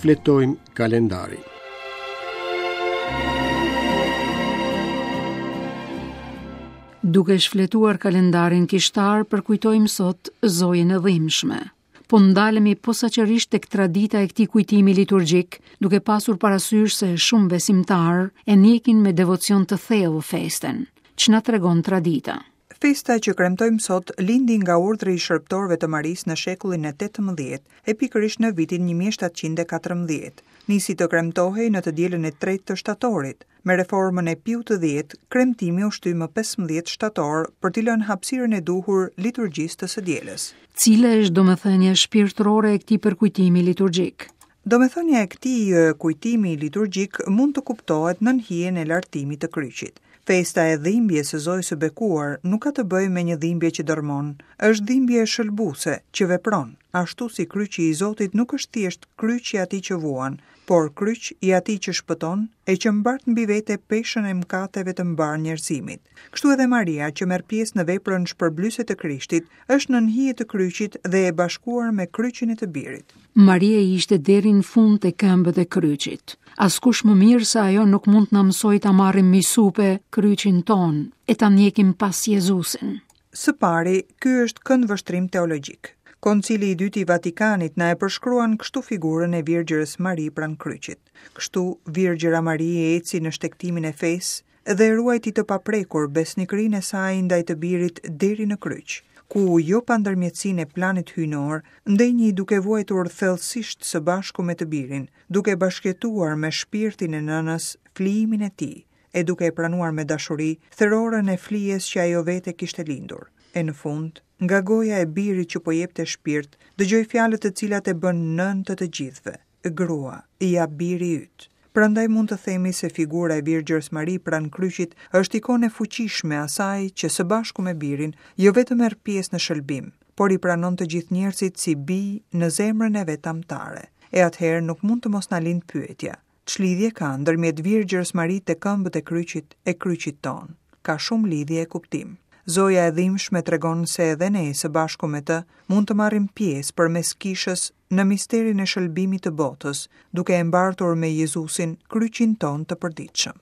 Shfletojmë kalendarin. Duke shfletuar kalendarin kishtar, përkujtojmë sot Zojën e Dhimbshme. Po ndalemi posaçërisht tek tradita e këtij kujtimi liturgjik, duke pasur parasysh se shumë besimtarë e ndjekin me devocion të thellë festën. Ç'na tregon tradita? Festa që kremtojmë sot lindi nga urdhri i shërbëtorëve të Marisë në shekullin e 18, e pikërisht në vitin 1714. Nisi të kremtohej në të dielën e tretë të shtatorit. Me reformën e Piut të Dhjetë, kremtimi u shty më 15 shtator për t'i lënë hapësirën e duhur liturgjisë të së dielës. Cila është domethënia shpirtërore e këtij përkujtimi liturgjik? Domethënia e këtij kujtimi liturgjik mund të kuptohet nën hijen e lartimit të kryqit. Festa e dhimbjes së Zojës së Bekuar nuk ka të bëjë me një dhimbje që dërrmon, është dhimbje shëlbuese, që vepron, ashtu si kryqi i Zotit nuk është thjesht kryq i atij që vuan, por kryq i atij që shpëton e që mbart mbi vete peshën e mëkateve të mbarë njerëzimit. Kështu edhe Maria, që merr pjesë në veprën shpërblyese të Krishtit, është nën hije të kryqit dhe e bashkuar me kryqin e të Birit. Maria ishte deri në fund te këmbët e kryqit. Askush më mirë se ajo nuk mund të na mësojë ta marrim mbi supe kryqin tonë e ta ndjekim pas Jezusin. Së pari, ky është këndvështrim teologjik. Koncili i Dytë i Vatikanit na e përshkruan kështu figurën e Virgjërës Mari pranë kryqit. Kështu, Virgjëra Mari eci në shtegtimin e fesë dhe e ruajti të paprekur besnikërinë e saj ndaj të Birit deri në kryq, ku jo pa ndërmjetësinë e planit hyjnor, ndenji duke vuajtur thellësisht së bashku me të Birin, duke bashkëjetuar me shpirtin e nënës flijimin e tij, e duke e pranuar me dashuri therorën e flijes që ajo vetë e kishte lindur. E në fund, nga goja e birit që po jepte shpirt, dëgjoi fjalët të cilat e bënë nënë të të gjithëve, Grua, ja biri yt. Prandaj mund të themi se figura e Virgjërës Mari pranë kryqit është ikonë e fuqishme e asaj që së bashku me birin jo vetëm merr pjesë në shëlbim, por i pranon të gjithë njerëzit si bij në zemrën e vet amtare. E atëherë nuk mund të mos na lindë pyetja, Ç'lidhje ka ndërmjet Virgjërës Mari te këmbët e kryqit e kryqit tonë? Ka shumë lidhje e kuptim. Zoja e dhimbshme tregon se edhe ne së bashku me të mund të marrim pjesë përmes kishës në misterin e shëlbimit të botës, duke e mbartur me Jezusin kryqin tonë të përditshëm.